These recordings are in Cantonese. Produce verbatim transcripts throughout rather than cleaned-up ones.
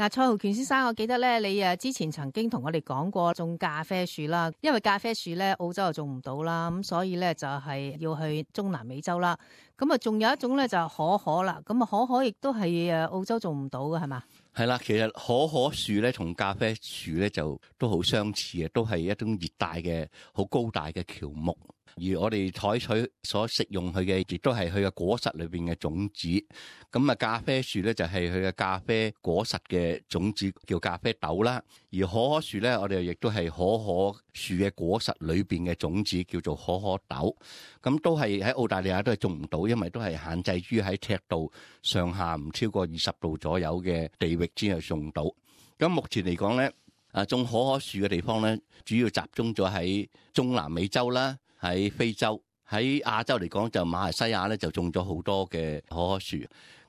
嗱，蔡浩權先生，我記得咧，你誒之前曾經同我哋講過種咖啡樹啦，因為咖啡樹咧澳洲又種唔到啦，咁所以咧就係要去中南美洲啦。咁啊，仲有一種咧就係可可啦，咁啊可可亦都係誒澳洲種唔到嘅，係嘛？係啦，其實可可樹咧同咖啡樹咧就都好相似嘅，都係一種熱帶嘅好高大嘅喬木。而我哋採取所食用佢嘅，亦都係佢嘅果實裏邊嘅種子。咁啊，咖啡樹咧就係佢嘅咖啡果實嘅種子，叫咖啡豆啦。而可可樹咧，我哋亦都係可可樹嘅果實裏邊嘅種子，叫做可可豆。咁都係喺澳大利亞都係種唔到，因為都係限制於喺赤道上下唔超過二十度左右嘅地域先係種到。咁目前嚟講咧，啊種可可樹嘅地方咧，主要集中咗喺中南美洲啦。喺非洲，喺亞洲嚟講就馬來西亞咧就種咗好多嘅可可樹，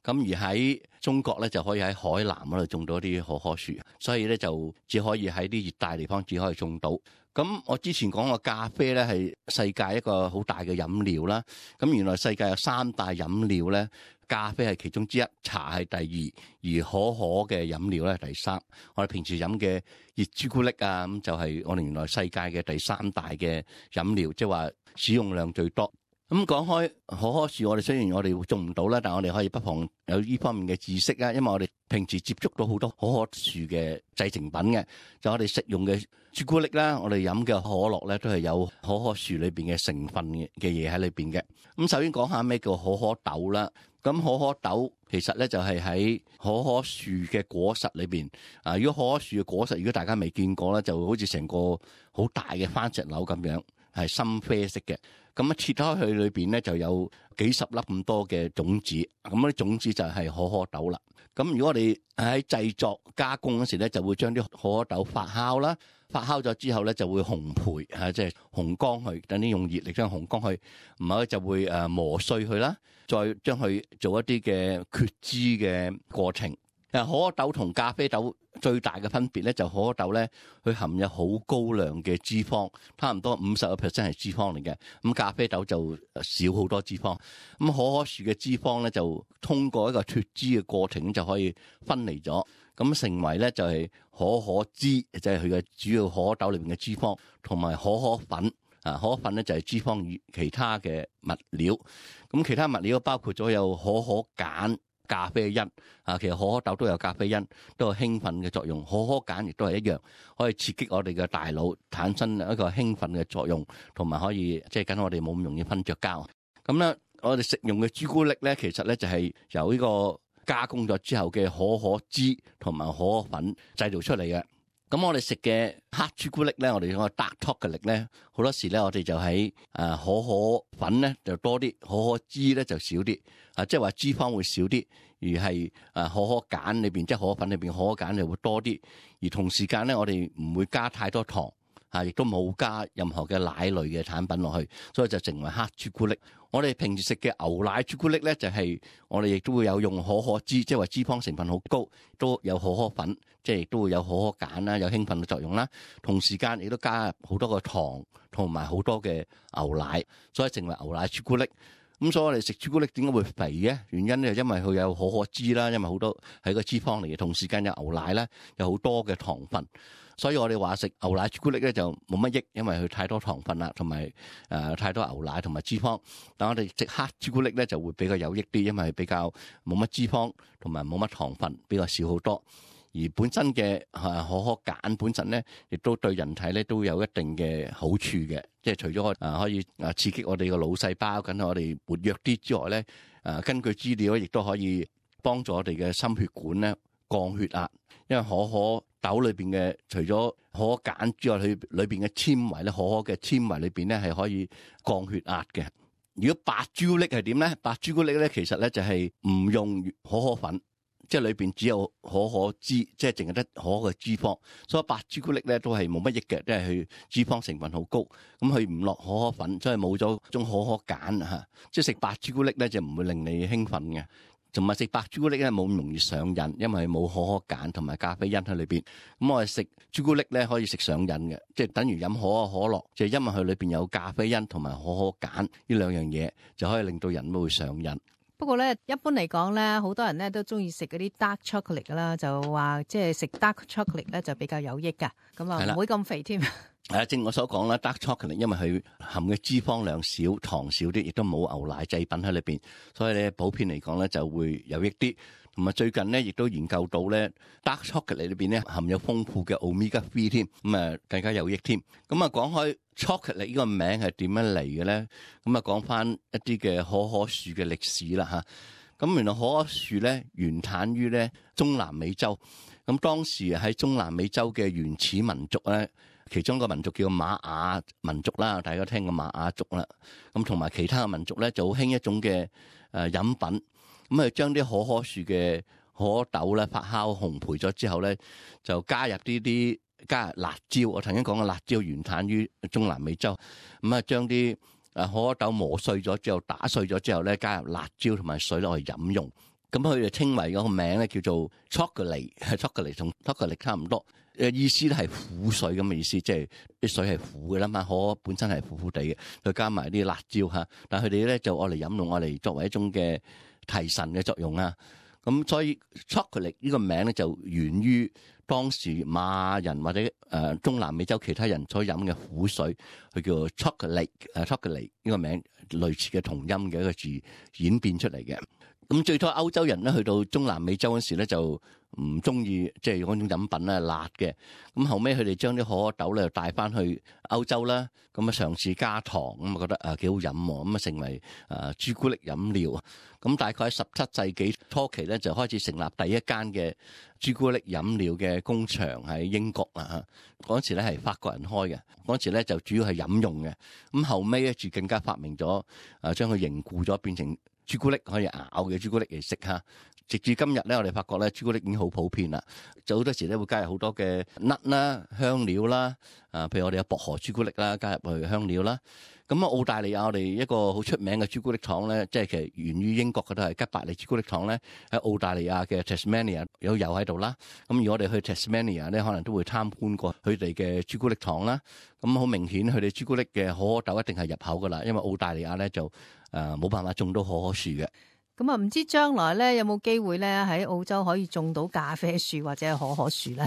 咁而喺中國咧就可以喺海南嗰度種到啲可可樹，所以咧就只可以喺啲熱帶地方只可以種到。咁我之前講過咖啡咧係世界一個好大嘅飲料啦，咁原來世界有三大飲料咧，咖啡係其中之一，茶係第二，而可可嘅飲料咧係第三。我哋平時飲嘅熱朱古力啊，咁就係我哋原來世界嘅第三大嘅飲料，即係話使用量最多。咁講開可可樹，我哋雖然我哋種唔到啦，但係我哋可以不妨有呢方面嘅知識啊，因為我哋平時接觸到好多可可樹嘅製成品嘅，就我哋食用嘅朱古力啦，我哋飲嘅可樂咧都係有可可樹裏邊嘅成分嘅嘅嘢喺裏邊嘅。咁首先講下咩叫可可豆啦。咁可可豆其實咧就係喺可可樹嘅果實裏邊啊。如果可可樹嘅果實，如果大家未見過咧，就好似成個好大嘅番石榴咁樣，係深啡色嘅。咁啊切開佢裏邊咧就有幾十粒咁多嘅種子，咁啲種子就係可可豆啦。咁如果我哋喺製作加工嗰時咧，就會將啲可可豆發酵啦，發酵咗之後咧就會烘焙嚇，即係烘乾佢，等啲用熱力將烘乾佢，唔係就會誒磨碎佢啦，再將佢做一啲嘅決脂嘅過程。誒可可豆同咖啡豆最大嘅分別咧，就可可豆咧，佢含有好高量嘅脂肪，差唔多五十個 percent 係脂肪嚟嘅。咁咖啡豆就少好多脂肪。咁可可樹嘅脂肪咧，就通過一個脫脂嘅過程就可以分離咗，咁成為咧就係可可脂，就係佢嘅主要可可豆裏邊嘅脂肪，同埋可可粉。啊，可可粉咧就係脂肪與其他嘅物料。咁其他物料包括咗有可可鹼、咖啡因啊，其實可可豆都有咖啡因，都有興奮嘅作用。可可鹼亦都係一樣，可以刺激我哋嘅大腦產生一個興奮嘅作用，同埋可以即係等我哋冇咁容易瞓着覺。咁咧，我哋食用嘅朱古力咧，其實咧就係由呢個加工咗之後嘅可可脂同埋可可粉製造出嚟嘅。咁我哋食嘅黑朱古力咧，我哋講 dark chocolate 咧，好多時咧我哋就喺誒可可粉咧就多啲，可可脂咧就少啲，啊即係話脂肪會少啲，而係誒可可鹼裏邊即係可可粉裏邊可可鹼就會多啲，而同時間咧我哋唔會加太多糖，啊亦都冇加任何嘅奶類嘅產品落去，所以就成為黑朱古力。我哋平時食嘅牛奶朱古力咧，就係、是、我哋亦都會有用可可脂，即係話脂肪成分好高，都有可可粉，即係亦都會有可可鹼啦，有興奮嘅作用啦。同時間亦都加入好多個糖同埋好多嘅牛奶，所以成為牛奶朱古力。咁所以我哋食朱古力點解會肥嘅？原因咧，因為佢有可可脂啦，因為好多係個脂肪嚟嘅，同時間有牛奶啦，有好多嘅糖分。所以我哋話食牛奶朱古力咧就冇乜益，因為佢太多糖分啦，同埋誒太多牛奶同埋脂肪。但我哋食黑朱古力咧就會比較有益啲，因為比較冇乜脂肪同埋冇乜糖分，比較少好多。而本身嘅誒可可鹼本身咧，亦都對人體咧都有一定嘅好處嘅。即係除咗誒可以誒刺激我哋個腦細胞，緊我哋活躍啲之外咧，誒根據資料亦都可以幫助我哋嘅心血管咧降血壓。因為可可豆裏邊嘅除咗可可鹼之外，佢裏邊嘅纖維咧，可可嘅纖維裏邊咧係可以降血壓嘅。如果白朱古力係點咧？白朱古力咧其實咧就係唔用可可粉，即係裏邊只有可可脂，即係淨係得可可嘅脂肪，所以白朱古力咧都係冇乜益嘅，即係佢脂肪成分好高，咁佢唔落可可粉，所以冇咗種可可鹼嚇。即係食白朱古力咧就唔會令你興奮嘅。同埋食白朱古力咧冇咁容易上癮，因為冇可可鹼同埋咖啡因喺裏邊。咁我哋食朱古力咧可以食上癮嘅，即係等於飲可可可樂，就係因為佢裏邊有咖啡因同埋可可鹼呢兩樣嘢，就可以令到人會上癮。不過咧，一般嚟講咧，好多人咧都中意食嗰啲 dark chocolate 噶啦，就話即係食 dark chocolate 咧就比較有益噶，咁啊唔會咁肥添。係啊，正我所講啦 ，dark chocolate 因為佢含嘅脂肪量少、糖少啲，亦都冇牛奶製品喺裏邊，所以咧普遍嚟講咧就會有益啲。同埋最近咧亦都研究到咧 dark chocolate 裏邊咧含有豐富嘅 omega 三添，咁啊更加有益添。咁啊講開 chocolate 呢個名係點樣嚟嘅咧？咁啊講翻一啲嘅可可樹嘅歷史啦嚇。咁原來可可樹咧原產於咧中南美洲，咁當時喺中南美洲嘅原始民族咧，其中一個民族叫瑪雅民族啦，大家聽過瑪雅族啦。咁同埋其他嘅民族咧就好興一種嘅誒飲品，咁啊將啲可可樹嘅可可豆咧發酵烘焙咗之後咧，就加入呢啲加入辣椒。我曾經講過辣椒原產於中南美洲，咁啊將啲誒可可豆磨碎咗之後，打碎咗之後咧，加入辣椒同埋水落去飲用。咁佢就稱為嗰個名咧叫做 chocolate，chocolate 同 chocolate 差唔多。誒意思咧係苦水咁嘅意思，即係啲水係苦嘅啦嘛，可可本身係苦苦地嘅，再加埋啲辣椒嚇。但係佢哋咧就愛嚟飲用，愛嚟作為一種嘅提神嘅作用啊。咁所以 chocolate 呢個名咧就源於當時瑪雅人或者誒中南美洲其他人所飲嘅苦水，佢叫做 chocolate，誒 chocolate 呢個名類似嘅同音嘅一個字演變出嚟嘅。咁最初歐洲人咧去到中南美洲嗰時咧就唔中意即係嗰種飲品咧辣嘅，咁後尾佢哋將啲可可豆咧帶翻去歐洲啦，咁啊嘗試加糖，咁啊覺得啊幾好飲喎，咁啊成為啊朱古力飲料。咁大概喺十七世紀初期咧就開始成立第一間嘅朱古力飲料嘅工場喺英國啦嚇，嗰時咧係法國人開嘅，嗰時咧就主要係飲用嘅，咁後尾咧就更加發明咗啊將佢凝固咗變成朱古力可以咬嘅朱古力嚟食嚇，直至今日咧，我哋發覺咧朱古力已經好普遍啦。就好多時咧會加入好多嘅 nut 啦、香料啦，啊，譬如我哋有薄荷朱古力啦，加入去香料啦。咁啊，澳大利亞我哋一個好出名嘅朱古力廠咧，即係其實源於英國嘅都係吉百利朱古力廠咧，喺澳大利亞嘅 Tasmania 有有喺度啦。咁而我哋去 Tasmania 咧，可能都會參觀過佢哋嘅朱古力廠啦。咁好明顯，佢哋朱古力嘅可可豆一定係入口噶啦，因為澳大利亞咧就誒冇辦法種到可可樹嘅。咁啊，唔知將來咧有冇機會咧喺澳洲可以種到咖啡樹或者係可可樹咧？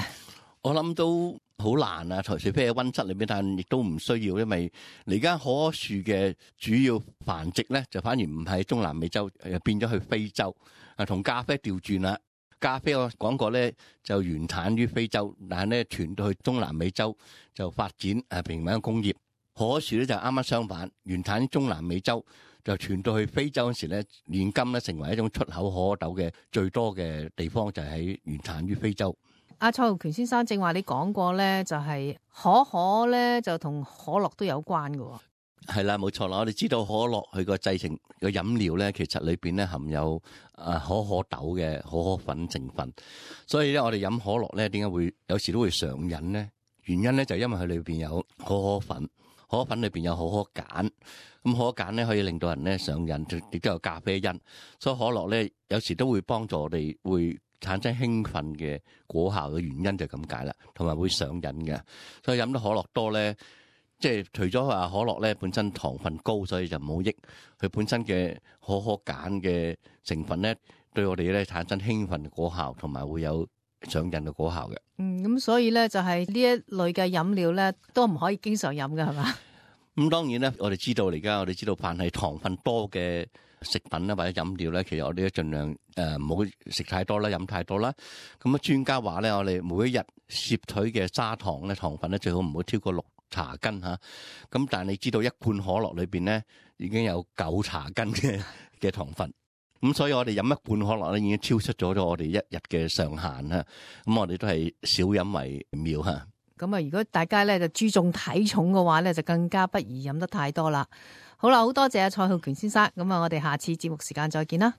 我諗都好難啊，除非喺溫室裏邊，但亦都唔需要，因為而家可可樹嘅主要繁殖咧，就反而唔係中南美洲，誒變咗去非洲啊，同咖啡調轉啦。咖啡我講過咧，就原產於非洲，但係咧傳到去中南美洲就發展誒平民工業。可可樹咧就啱啱相反，原產於中南美洲，就傳到去非洲嗰時咧，現今咧成為一種出口可可豆嘅最多嘅地方，就係喺原產於非洲。阿蔡浩權先生正話你講過咧，就係可可咧就同可樂都有關嘅。係啦，冇錯啦。我哋知道可樂佢個製成個飲料咧，其實裏邊咧含有啊可可豆嘅可可粉成分，所以咧我哋飲可樂咧點解會有時都會上癮咧？原因咧就係因為佢裏邊有可可粉，可可粉裏邊有可可鹼，咁可可鹼咧可以令到人咧上癮，亦都有咖啡因，所以可樂咧有時都會幫助我哋會產生興奮嘅果效嘅原因就係咁解啦，同埋會上癮嘅。所以飲得可樂多咧，即係除咗話可樂咧本身糖分高，所以就唔好益。佢本身嘅可可鹼嘅成分咧，對我哋咧產生興奮嘅果效，同埋會有上癮嘅果效嘅。嗯，咁所以咧就係呢一類嘅飲料咧，都唔可以經常飲嘅，係嘛？咁當然咧，我哋知道而家我哋知道，凡係糖分多嘅食品啦或者飲料咧，其實我哋都盡量誒唔好食太多啦，飲太多啦。咁啊，專家話咧，我哋每一日攝取嘅砂糖咧，糖分咧最好唔好超過六茶羹嚇。咁但係你知道一罐可樂裏邊咧已經有九茶羹嘅嘅糖分，咁所以我哋飲一罐可樂咧已經超出咗咗我哋一日嘅上限啦。咁我哋都係少飲為妙嚇。咁啊，如果大家咧就注重體重嘅話咧，就更加不宜飲得太多啦。好啦，好多謝阿蔡浩權先生。咁啊，我哋下次節目時間再見啦。